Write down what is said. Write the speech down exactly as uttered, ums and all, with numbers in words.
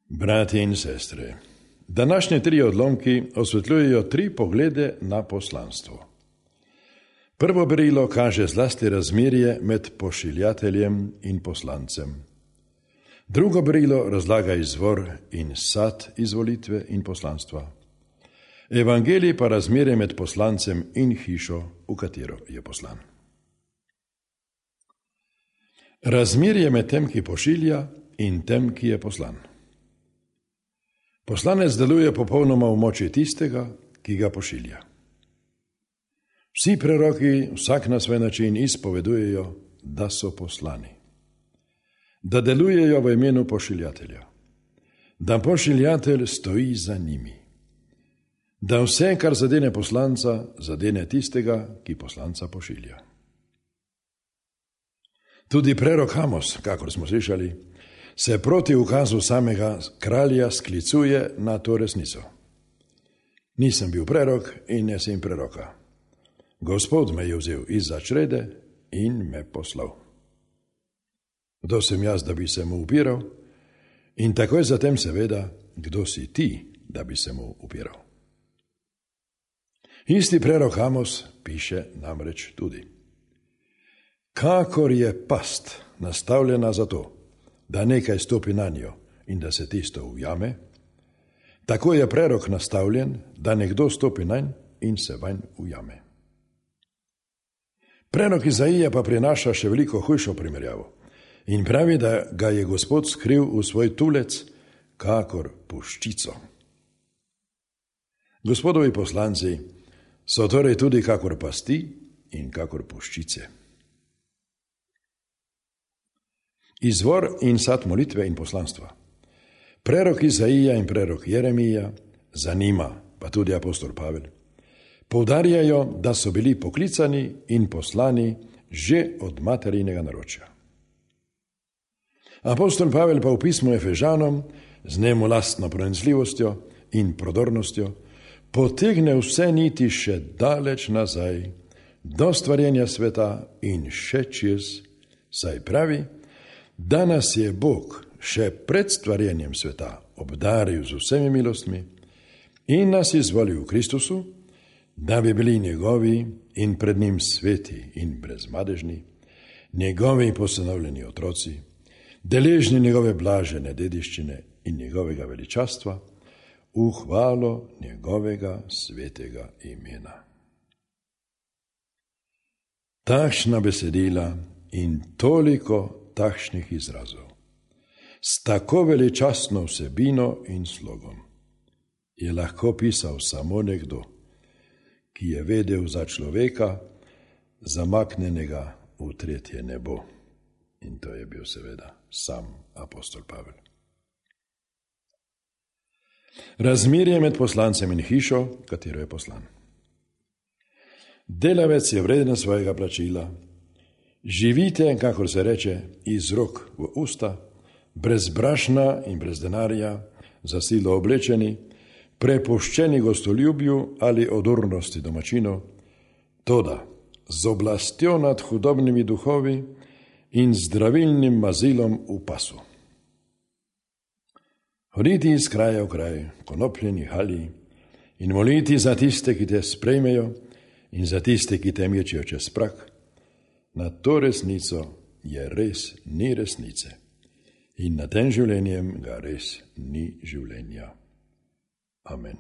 Bratje in sestre, današnje tri odlomki osvetljujejo tri poglede na poslanstvo. Prvo berilo kaže zlasti razmerje med pošiljateljem in poslancem. Drugo berilo razlaga izvor in sad izvolitve in poslanstva. Evangelij pa razmerje med poslancem in hišo, v katero je poslan. Razmerje med tem, ki pošilja, in tem, ki je poslan. Poslanec deluje popolnoma v moči tistega, ki ga pošilja. Vsi preroki, vsak na svoj način, izpovedujejo, da so poslani. Da delujejo v imenu pošiljatelja. Da pošiljatelj stoji za njimi. Da vse, kar zadene poslanca, zadene tistega, ki poslanca pošilja. Tudi prerok Amos, kakor smo slišali, se proti ukazu samega kralja sklicuje na to resnico. Nisem bil prerok in ne sem preroka. Gospod me je vzel izza črede in me poslal. Kdo sem jaz, da bi se mu upiral? In takoj zatem seveda, kdo si ti, da bi se mu upiral? Isti prerok Amos piše namreč tudi: kakor je past nastavljena za to, da nekaj stopi na njo in da se tisto ujame, tako je prerok nastavljen, da nekdo stopi nanj in se vanj ujame. Prerok Izaija pa prinaša še veliko hujšo primerjavo in pravi, da ga je Gospod skril v svoj tulec, kakor puščico. Gospodovi poslanci so torej tudi kakor pasti in kakor puščice. Izvor in sad molitve in poslanstva. Prerok Izaija in prerok Jeremija, za njima pa tudi apostol Pavel, poudarjajo, da so bili poklicani in poslani že od materinega naročja. Apostol Pavel pa v pismu Efežanom z njemu lastno pronicljivostjo in prodornostjo potegne vse niti še daleč nazaj, do stvarjenja sveta in še čez, saj pravi, da nas je Bog še pred stvarjenjem sveta obdaril z vsemi milostmi in nas izvolil v Kristusu, da bi bili njegovi in pred njim sveti in brezmadežni, njegovi posenovljeni otroci, deležni njegove blažene dediščine in njegovega veličastva, v hvalo njegovega svetega imena. Takšna besedila in toliko takšnih izrazov, s tako veličastno vsebino in slogom, je lahko pisal samo nekdo, ki je vedel za človeka, zamaknjenega v tretje nebo. In to je bil seveda sam apostol Pavel. Razmerje med poslancem in hišo, katero je poslan. Delavec je vreden svojega plačila. Živite, kakor se reče, iz rok v usta, brez brašna in brez denarja, za silo oblečeni, prepuščeni gostoljubju ali odurnosti domačinov, toda z oblastjo nad hudobnimi duhovi in zdravilnim mazilom v pasu. Hoditi iz kraja v kraj, konopljeni halji, in moliti za tiste, ki te sprejmejo, in za tiste, ki te mečijo čez prak. Na to resnico je res ni resnice in nad tem življenjem ga res ni življenja. Amen.